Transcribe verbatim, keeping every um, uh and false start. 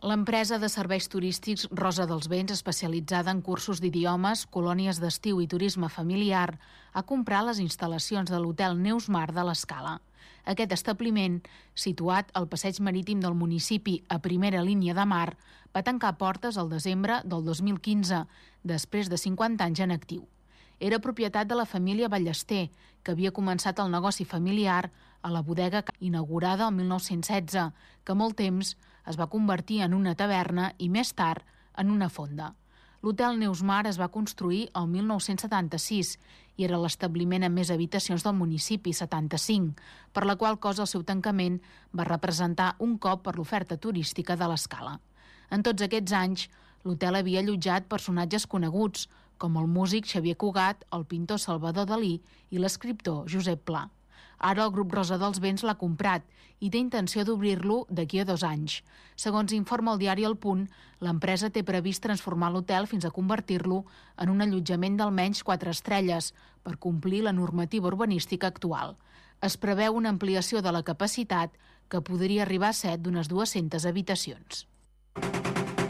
L'empresa de serveis turístics Rosa dels Vents, especialitzada en cursos d'idiomes, colònies d'estiu i turisme familiar, ha comprat les instal·lacions de l'hotel Neus Mar de l'Escala. Aquest establiment, situat al passeig marítim del municipi a primera línia de mar, va tancar portes al desembre del dos mil quinze, després de cinquanta anys en actiu. Era propietat de la família Ballester, que havia començat el negoci familiar a la bodega inaugurada el mil nou-cents setze, que molt temps es va convertir en una taverna i més tard en una fonda. L'hotel Neus Mar es va construir el mil nou-cents setanta-sis i era l'establiment amb més habitacions del municipi, setanta-cinc, per la qual cosa el seu tancament va representar un cop per l'oferta turística de l'Escala. En tots aquests anys, l'hotel havia allotjat personatges coneguts, com el músic Xavier Cugat, el pintor Salvador Dalí i l'escriptor Josep Pla. Ara el grup Rosa dels Vents l'ha comprat i té intenció d'obrir-lo d'aquí a dos anys. Segons informa el diari El Punt, l'empresa té previst transformar l'hotel fins a convertir-lo en un allotjament d'almenys quatre estrelles per complir la normativa urbanística actual. Es preveu una ampliació de la capacitat que podria arribar a set d'unes dues-centes habitacions.